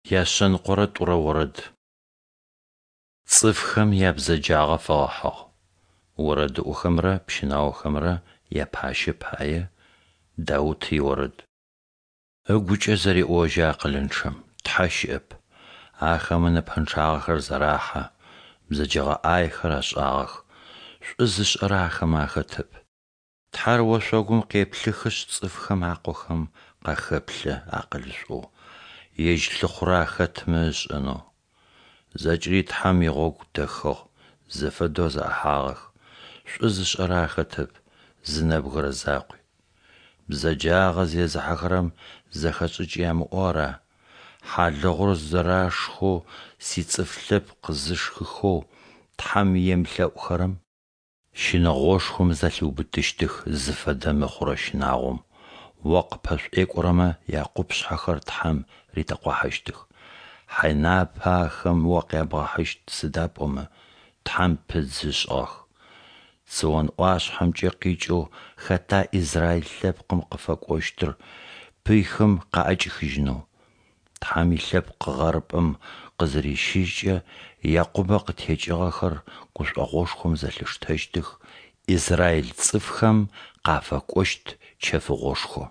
102-рэ орэд. Цӏыфхэм ябзэджагъэ фэгъэхьыгъ. Орэдыӏохэмрэ пщынаохэмрэ япащэ пае Даут иорэд. Ыгукӏэ зэреӏожьы акъылынчъэм: «Тхьэ щыӏэп». Ахэмэ нэпэнчъагъэхэр зэрахьэ, бзэджэгъэ ӏаехэр ашӏагъэх, шӏу зышӏэрэ ахэмэ ахэтэп. Тхьэр ошъогум къеплъыхышъ цӏыфхэм акъохэм къахэплъэ акъылышӏоу, Ежь лъыхъурэ ахэтмэ ышӏэнэу. Зэкӏэри Тхьэм игъогу дэхыгъ, зэфэдэу зэӏэхьагъэх, шӏу зышӏэрэ ахэтэп, зы нэбгырэ закъуи. Бзэджагъэ зезыхьэхэрэм зэхэшӏыкӏ ямыӏэу ара? Хьалыгъур зэрашхэу сицӏыф лъэпкъ зышхыхэу, Тхьэм емылъэӏухэрэм? Щынэгъошхом зэлъиубытыщтых зыфэдэ мыхъурэ щынагъом, о къыппэшӏуекӏорэмэ якъупшъхьэхэр Тхьэм ритэкъухьащтых. Хьайнапэ ахэм о къябгъэхьыщт, сыда пӏомэ Тхьэм пыдзы ышӏыгъэх. Цион ӏуашъхьэмкӏэ къикӏэу хэта Израиль лъэпкъым къыфэкӏощтыр пыйхэм къаӏэкӏихыжьынэу? Тхьэм илъэпкъ гъэрыпӏэм къызырищыжькӏэ, Якъубэ къытекӏыгъэхэр гушӏогъошхом зэлъиштэщтых, Израиль цӏыфхэм къафэкӏощт чэфыгъошхо.